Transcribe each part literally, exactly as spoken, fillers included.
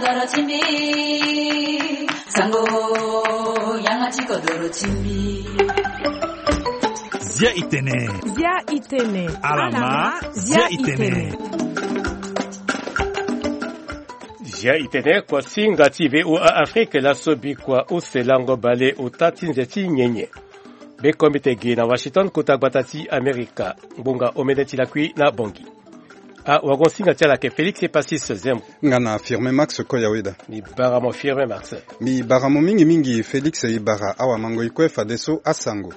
Kodoro ti mbi, sango, yanga ti kodoro ti mbi. Zia itene. Zia itene. Alama, zia itene. Zia itene, kuasinga ti V O A Afrique, laso bikua use lango bale ota ti nze ti nyenye. Be kombite gi na Washington, kota gbata ti Amerika, ngbonga omene ti lakui na Bongi. A wagon singa ti ala ke Félix Epasis Zembo. Nga na Firmin Max Koyaweda. Mi bara mo Firmin Max. Mi bara mo mingi mingi Félix, e bara awa mango ikue fadeso asango.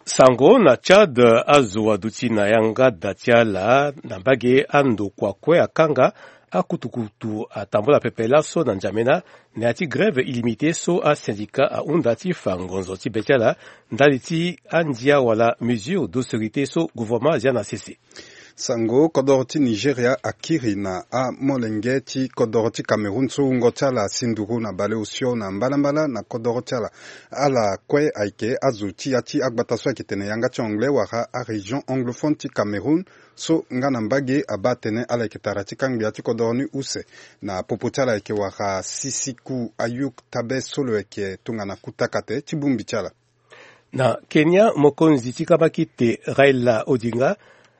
Sango na Tchad, azo aduti na yanga da ti ala na mbage andokua kue akanga, akutukutu atambola pepe laso na N'Djamena, na ya ti grève illimité so asyndicat ahunda ti fa ngonzo ti be ti ala ndali ti andia wala mesure d'austérité so gouvernement azia na sese. Sango, kodoro ti Nigeria akiri na amolenge ti kodoro ti Cameroun so wungo ti ala asi nduru na baleosio na mbalambala na kodoro ti ala. Ala kue ayeke azo ti ya ti agbata so ayeke tene yanga ti anglais wala arégion anglophone ti Cameroun, so nga na mbage abaa atene ala yeke tara ti ka ngbia ti kodoro ni use. Na popo ti ala ayeke wara Sisiku Ayuk Tabe so lo yeke tongana kutakate ti bongbi ti ala. Na Kenya, mokonzi ti kambakite Raila Odinga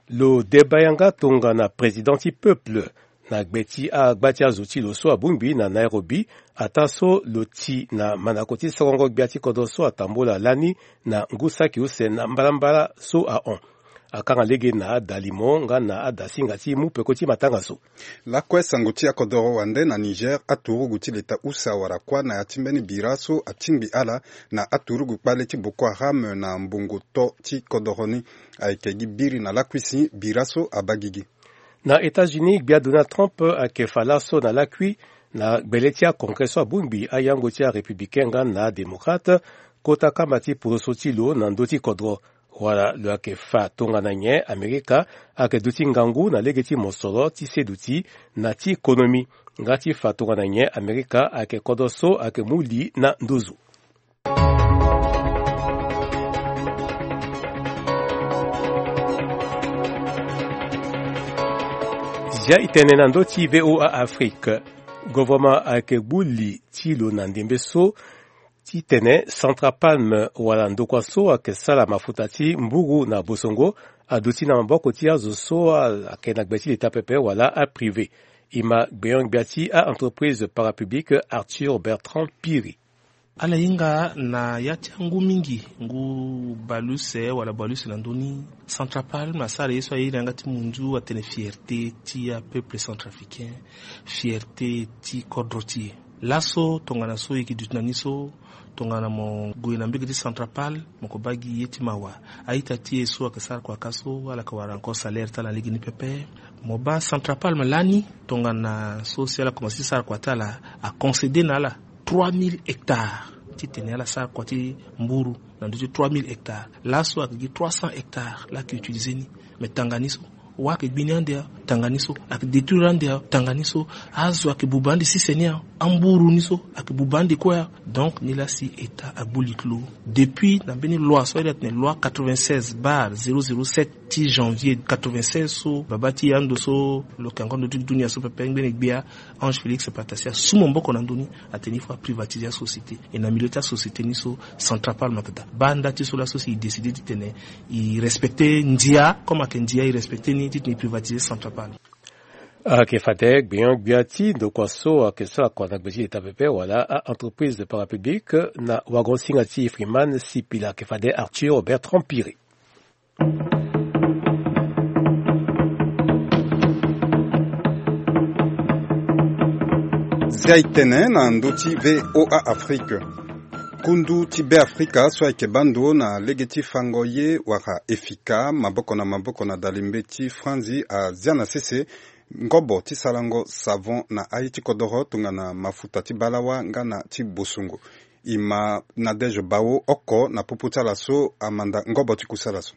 lo deba yanga tongana président ti peuple na gbe ti agba ti azo ti lo so abongbi na Nairobi, ataa so lo ti na mandako ti sokongo gbia ti kodro so atambola lani na ngu saki use na mbalambala so ahon. Akanga lege na adalimo nga na adasinga ti mu peko ti matanga so. Lakue sango ti akodoro wande na Niger, aturugu ti leta use awara kuâ na ya ti mbeni bira so atingbi ala na aturugu kpale ti Boko Haram na mbongo to ti kodoro ni. Ayeke gi biri na lakui si bira so abaa gigi. Na États-Unis, gbia Donald Trump ayeke fa laso na lakui na gbele ti acongrès so abongbi ayango ti arépublicain nga na adémocrate, kota kamba ti poroso ti lo na ndö ti kodro. Wala lo yeke fa tongana nyen Amerika ayeke duti ngangu na lege ti mosoro ti seduti na ti konomi, nga ti fa tongana nyen Amerika ayeke kodro so ayeke mu li na nduzu. Zia itene na ndö ti V O A Afrique. Gouvernement ayeke gbu li ti lo na ndembe so titene Centrapalm wala ndokua so ayeke sara mafuta ti mburu na bosongo aduti na maboko ti azo so ayeke na gbe ti leta pepe wala aprivé. E ma gbenyo-gbia ti a-entreprise parapublique Arthur Bertrand Piri. Ala hinga na ya ti angu mingi, ngu baleuse wala baleuse na ndö ni. Centrapalm asara ye so aye na yanga ti munzu atene fierté ti apeuple centrafricain, fierté ti kodro ti e. Laso tongana so e yeke duti na ni so, tongana mo gue na mbege ti Centrapalm, mo ko baa gi ye ti mawa. A-ita ti e so ayeke sara kua ka so, ala yeke wara encore salaire ti ala na lege ni pepe. Mo baa Centrapalm lani, tongana so si ala komanse ti sara kua ti ala, aconcédé na ala trois mille hectares titene ala sara kua ti mburu na ndö ti trois mille hectares. Laso ayeke gi trois cents hectares laa ayeke utilisé ni. Mais tanga ni so, wâ ayeke gbi ni ande awe, tanga ni so, ayeke détruire ande awe, tanga ni so, azo ayeke buba ande sise ni awe, amburu ni so ayeke buba ande kue awe. Donc ni laa si État agbu li ti lo. Depuis na mbeni loi so airi atene loi quatre-vingt-seize barre zéro zéro sept ti janvier quatre-vingt-seize so baba ti ando so lo yeke encore ndö ti dunia so pepe ngbene gbia Ange Félix Patasia asu maboko na ndö ni, atene il faut aprivatiser asociété. E na milieu ti asociété ni so Centrapalm ayeke daa. Baa nda ti so laso si e décidé titene e respecté ndia, comme ayeke ndia e respecté ni titene e privatiser Centrapalm. Ayeke fade gbenyo-gbia ti ndokua so ayeke sara kua na gbe ti leta pepe wala a-entreprise parapublique na wagon singa ti Freeman Sipila, ayeke fade Arthur Bertrand Piri. Zia itene na ndö ti V O A Afrique. Kundu ti Beafrika so ayeke baa ndo na lege ti fango ye wala efika maboko na maboko na dalimbe ti Franzi azia na sese ngobo ti sarango savon na aye ti kodoro tongana mafuta ti balawa nga na ti bosungu. E ma Nadège Bao oko na popo ti ala so amanda ngobo ti kusala so.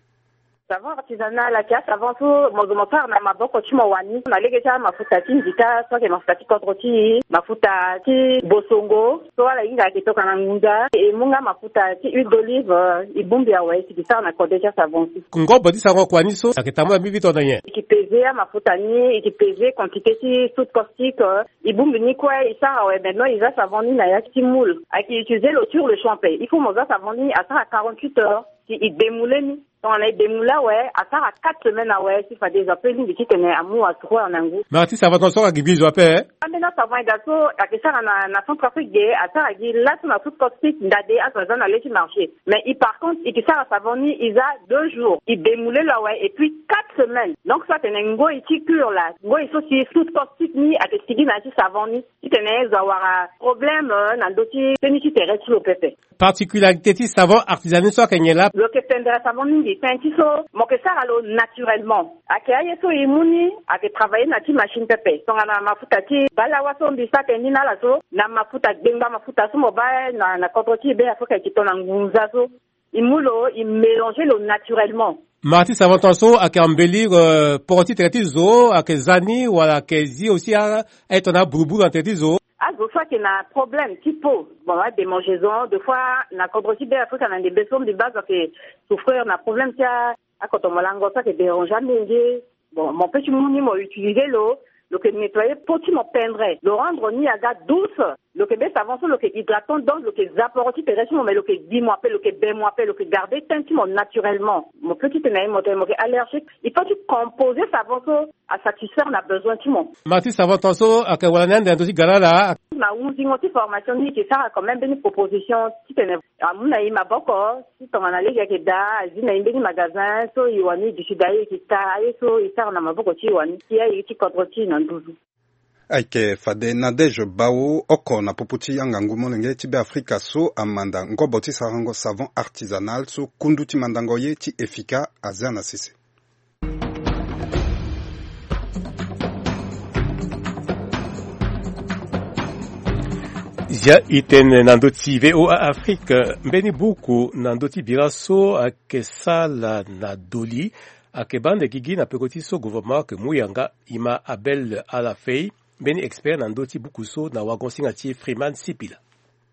Savon artisanal ayeke asavon so mo zo mo sara na maboko ti mo wani na lege ti amafuta ti nzita so ayeke mafuta ti kodro ti e. mafuta ti bosongo, so ala hinga ayeke toka na ngunza, e mu nga mafuta ti huile d'olive, e bongbi awe si e ke sara na kode ti asavon si. Ngobo ti sarango kua ni so ayeke tambula mbi vite na nyen? E ke peze amafuta ni, e ke peze quantité ti soude caustique, e bongbi ni kue e sara awe. Maintenant e za savon ni na ya ti moule, ayeke utiliser lo sur le champ ape. Il faut mo za savon ni asara quarante-huit heures si e demoule ni. Tongana e demoule awe, asara quatre semaines awe si fade zo ape lingbi titene amu asroir na ngu. Mais artiste, savon ton so ayeke gi zo ape, eh? Ambeni asavon eda so ayeke sara na, na Centrafrique ge, asara gi laso na soude caustique, ndade azo aza na le ti marché. Mais e, par contre, e ke sara savon ni e za deux jours, e demoule lo awe, et puis quatre semaines. Donc so atene ngoi ti cure la, ngoi so si soude caustique ni ayeke sigi na ya ti savon ni, titene zo awara problème, euh, na ndö ti teni ti tere ti lo pepe. Particularité ti savon artisanal so ayeke nyen laa? Lo yeke pendere savon mingi, tënë ti so mo yeke sara lo naturellement. Ayeke aye so e mu ni, ayeke travailler na ti machine pepe. Tongana mafuta ti balawa so mbi sara tënë ni na ala so, na mafuta gbengba, mafuta so mo baa na, na kodro ti Be Afrika, e ke to na ngunza so. E mu lo, e mélanger lo naturellement. Marti savon ton so ayeke embellir, euh, poro ti tere ti zo, ayeke za ni, wala ayeke zi aussi a, aye tongana aburuburu na tere ti zo. Azo so ayeke na problème ti peau, bon, adémangeaison, des fois na kodro ti Be Afrika na ndembe so mbi baa azo ayeke souffrir na problème ti a, akoto molango so ayeke déranger amenge. Bon, mo peut ti mu ni mo utiliser lo, lo yeke nettoyer peau ti mo pendre, lo rendre ni aga douce. Lo yeke be savon so lo yeke hydratant, donc lo yeke za poro ti tere ti mo, mais lo yeke gi mo ape, lo yeke be mo ape, lo yeke garder teint ti mo naturellement. Mo peut ti tene na ye mo tene mo yeke allergique. Il faut ti composer savon so asatisfaire na besoin ti mo. Marti savon ton so ayeke wara ni ande na ndö ti ga na ala. Na hunzingo ti formation ni e ke sara quand même mbeni proposition titene amu na e maboko, si tongana lege ayeke daa, azi na e mbeni magasin so e wani duti daa, e ke ta aye so e sara na maboko ti e wani, ti aye ti kodro ti e na nduzu. Ayeke fade Nadège Bao, oko na popo ti angangu molenge ti Be Afrika so amanda ngobo ti sarango savon artisanal so kundu ti mandango ye ti Efika aza na sese. Zia e tene na ndö ti V O A Afrique, mbeni buku na ndö ti bira so ayeke sala na doli ayeke baa ande gigi na peko ti so gouvernement ayeke mu yanga. E ma Abel Alafei, mbeni expert na ndö ti buku so na wagon-singa ti Freeman Sipila.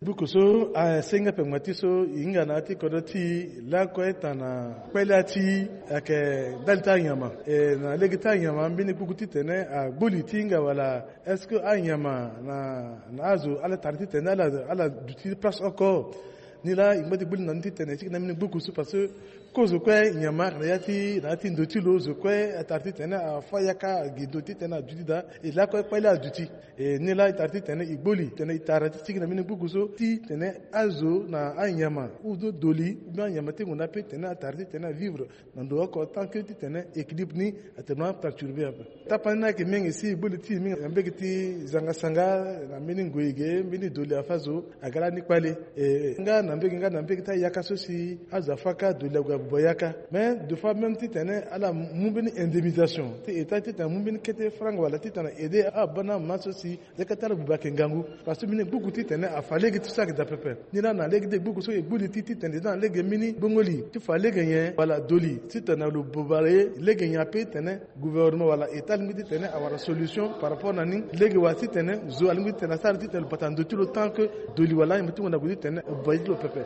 Buku so asengi ape ngba ti so e hinga na ya ti kodro ti e lakue tongana kpale ya ti e ayeke ndali ti anyama. E na lege ti anyama mbeni gbuku titene agbu li ti hinga wala est-ce que anyama na, na azo ala tara titene ala, ala duti ti place oko? Ni laa e ngba ti gbu li na ni titene e sigi na mbeni gbuku so parce que kozo kue nyama ayeke na ya ti, na ya ti ndo ti lo, zo kue atara titene afâ yaka, agi ndo titene aduti daa, e lakue kpale aduti. E ni laa e tara titene e gbu li titene e tara ti sigi na mbeni gbuku so titene azo na anyama ou do doli ou bien anyama ti ngonda ape titene atara titene avivre na ndo oko tant que titene équilibre ni atene perturbé ape. Tapani ni ayeke mingi si e gbu li ti e mingi na mbege ti zanga sanga, na mbeni ngoi ge, mbeni doli afâ zo aga lani kpale. E nga na mbege, nga na mbege ti ayaka so si azo afâ kâ, doli ague abuba yaka. Mais des fois même titene ala mu mbeni indemnisation ti État titene amu mbeni kete franga wala titene aide abana ma so si yaka ti ala buba ayeke ngangu. Parce que mbeni gbuku titene afa lege ti so ayeke daa pepe. Ni laa na lege ti gbuku so e gbu li ti titene e za na lege mbeni gbongo li ti fa lege nyen wala doli titene lo buba ye lege nyen ape titene gouvernement wala État alingbi titene awara solution par rapport na ni. Lege wala titene zo alingbi titene asara titene lo bata ndo ti lo tant que doli wala anyama ti ngonda ague titene abuba ye ti lo pepe.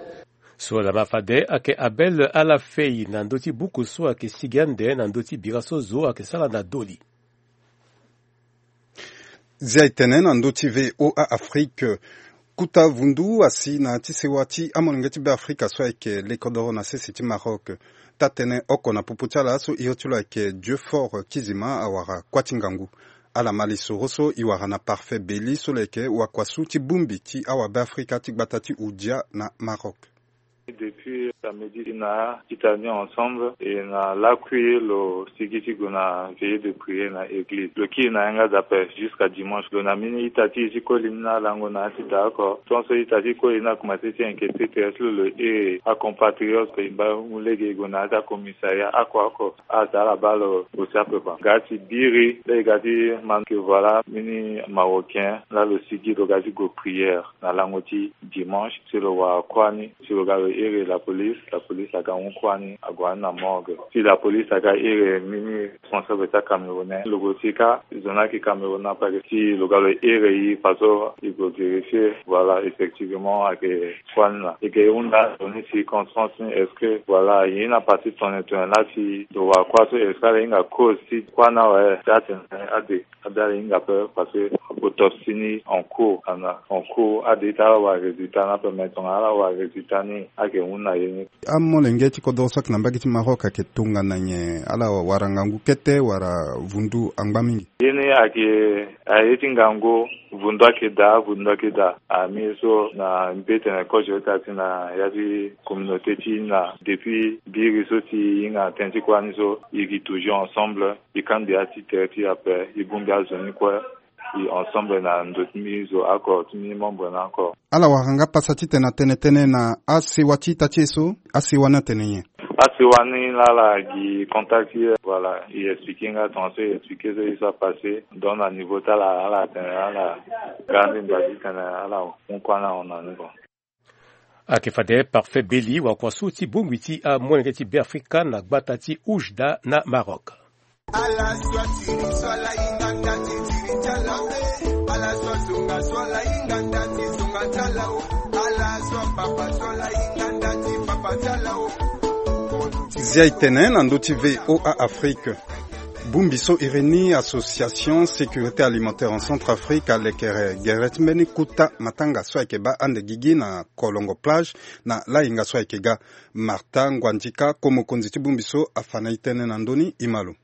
So lama fade ayeke Abel Alafei na ndö ti buku so ayeke sigi ande na ndö ti bira so zo ayeke sara na doli. Zia e tene na ndö ti V O A Afrique. Kuta vundu asi na ya ti sewa ti amolenge ti Be Afrika so ayeke lekodoro na sese ti Maroc. Taa-tënë oko na popo ti ala so iri ti lo ayeke Dieu Fort Kizima awara kuâ ti ngangu. Ala ma lisoro so e wara na Parfait Beli so lo yeke wakuasu ti bongbi ti awa Be Afrika ti gbata ti Houdia na Maroc. Depuis samedi na ita ni ensemble e na lakui lo sigi ti gue na veillée de prière na église. Lo kiri na yanga daa ape jusqu'à dimanche. Lo na mbeni ita ti e ti koli ni na lango na ya ti daa oko. Tongaso ita ti koli ni akomanse ti inquiéter ti lo, lo iri acompatriote e baa mu lege e gue na ya ti acommissariat oko oko. Aza ala baa lo aussi ape quoi. Ga ti biri laa e ga ti ma que voilà mbeni Marocain laa lo sigi lo ga ti gue prière na lango ti dimanche si lo wara kuâ ni si lo ga lo iri la police, la police aga hon kuâ ni ague na morgue. Si la police aga iri mbeni responsable ti aCameroun, lo gue ti kâ, zo ni ayeke Cameroun, na pake si lo ga lo iri e faso e gue vérifier, voilà, effectivement ayeke kuâ ni laa. E ke hunda zo ni circonstance ni, est-ce que, voilà, e na partie tongana tongana laa si lo wara kuâ so, est-ce que ala hinga cause ti kuâ ni awe? Ti atene ade, ade ala hinga ape parce que autopsie ni en cours, ana en cours, ade ti ala wara résultat ni ape, mais tongana ala wara résultat ni, ayeke hunda ye ni. Amolenge ti kodoro so ayeke na mbage ti Maroc ayeke tongana nyen? Ala wara ngangu kete wala vundu angba mingi? Ye ni ayeke, aye ti ngangu, vundu ayeke daa, vundu ayeke daa. Ami so na mbi tene kozo ti na ya ti communauté ti na depuis biri so ti hinga na tënë ti kuâ ni so, e gi toujours ensemble, e kangbi ya ti tere ti e ape, e bongbi azo ni kue, e ensemble na ndo ti mbi zo oko, ti mbi membre ni oko. Ala wara nga pasa titene atene tënë na asewa ti ita ti e so, asewa ni atene nyen? Asewa ni laa ala gi contact ti e, voilà, e expliquer nga tongana so e expliquer so e so apassé, donc na niveau ti ala, ala atene ala ga mbi mba titene ala hon kuâ ni ahon na ni, bon. Ayeke fade Parfait Beli wakua so ti bongbi ti amolenge ti Beafrika na gbata ti Oujda na Maroc. Zia e tene na ndö ti V O A Afrique. Bongbi so iri ni Association Sécurité Alimentaire en Centrafrique alekere gere ti mbeni kota matanga so ayeke baa ande gigi na Kolongo Plage na lahinga so ayeke ga. Martin Ngwandika, ko mokonzi ti bongbi so, afa na e tënë na ndö ni, e ma lo.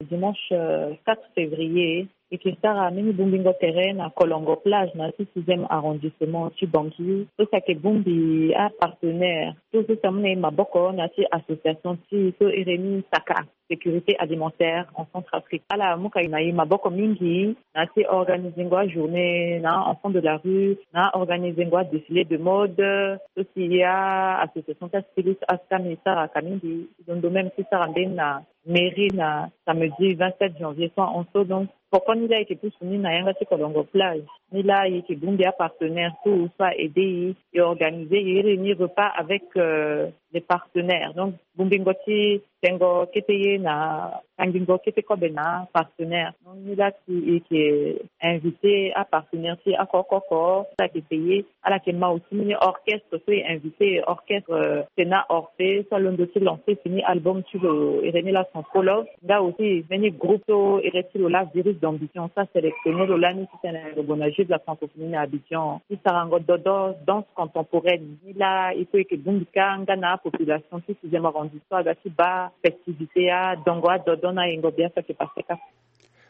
Dimanche, euh, quatre février, e yeke sara mbeni bongbingo tere na Kolongo Plage na ti sixième arrondissement ti Bangui. So si ayeke bongbi apartenaire so so si amu na e maboko na ti association ti e so iri ni SACA, Sécurité Alimentaire en Centrafrique. Ala mu ka na e maboko mingi na ti organiser ngo ajournée na enfant de la rue, na organiser ngo adéfilé de mode. So si e association ti astylistes, asami e sara ka mingi, e londo même ti sara mbeni na mairie na samedi vingt-sept janvier so ahon so. Donc, poko ni laa e yeke pusu ni na yanga ti Kolongo Plage. Ni laa e yeke bongbi apartenaire so so a aider e, e organiser e iri ni repas avec, euh, les partenaires. Donc, bongbingo ti tengo kete ye na tangingo kete kobe na partenaire. Donc, ni laa si e yeke inviter apartenaire ti e oko oko oko, so ayeke payer. Ala yeke ma aussi mbeni orchestre so e inviter, orchestre, euh, Sena Orphée, so alondo ti lancer fini album ti lo iri ni laa Son Follow. Nga aussi mbeni groupe so iri ti lo laa Virus d'Ambition, so asélectionner lo lani titene lo gue na Jeux de la Francophonie na Abidjan ti sarango dodo, danse contemporaine. Ni laa e so e yeke bongbi kâ nga na apopulation ti sixième arrondissement aga ti baa festivité, adongo adodo na yengo bia so ayeke pase kâ.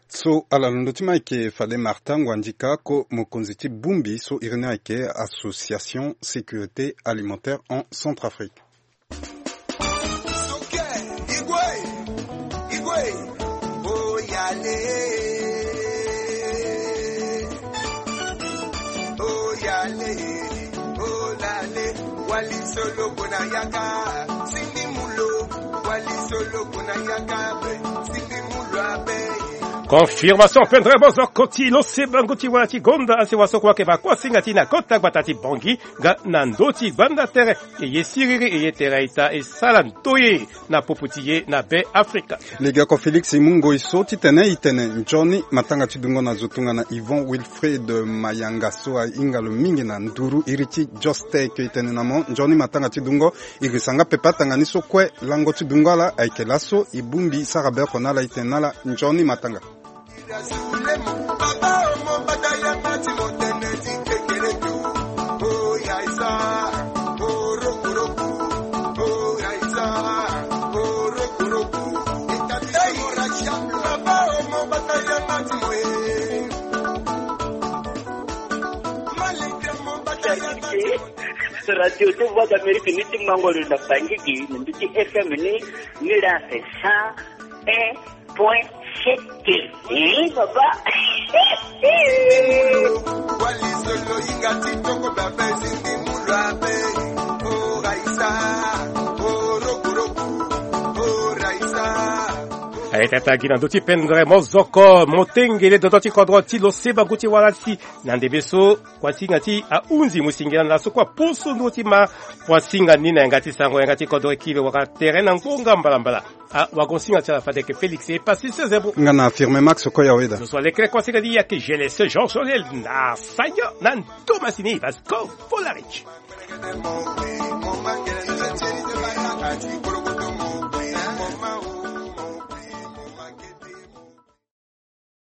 So ala londo ti ma ayeke fade Martin Ngwandika, ko mokonzi ti bongbi so iri ni ayeke Association Sécurité Alimentaire en Centrafrique. Confirmation pendere bozo koti lo se bango ti wala ti gonda asewa so kue ayeke ba kuâ singa ti na kota gbata ti Bangui nga na ndö ti gbanda tere. E ye siriri, e ye tere a-ita, e sala ndoye na popo ti e na Be Afrika. Legeoko Félix Mungoi so titene e tene nzoni matanga ti dungo na zo tongana Yvon Wilfried Mayanga so ahinga lo mingi na nduru iri ti Jostec. E tene na mo nzoni matanga ti dungo. E risa nga pepe atanga ni so kue. Lango ti dungo ala ayeke laso. E bongbi sara be oko na ala, e tene na ala nzoni matanga. Radio ti Voix d'Amérique ni ti mango lo na Bangui gi na ndö ti F M ni, ni la cent un point sept. Ih, papa. Aye tata gi na ndö ti pendre mozoko motengele dodo ti kodro ti lo seba ngu ti wala ti na ndembe so kuasinga ti ahunzi mo singila na so kua poso ndö ti ma kuasinga ni na yanga ti sango yanga ti kodro ekile waka tere na ngonga mbalambala. Ah, wagonsinga ti ala fadeke Félix e pasi sezebo. Nga na affirme Max Okoya Weda. Zo so alekere kuasinga ni yake G L S Jean Solel na sanya na ndomasi ni Vasco Volaric.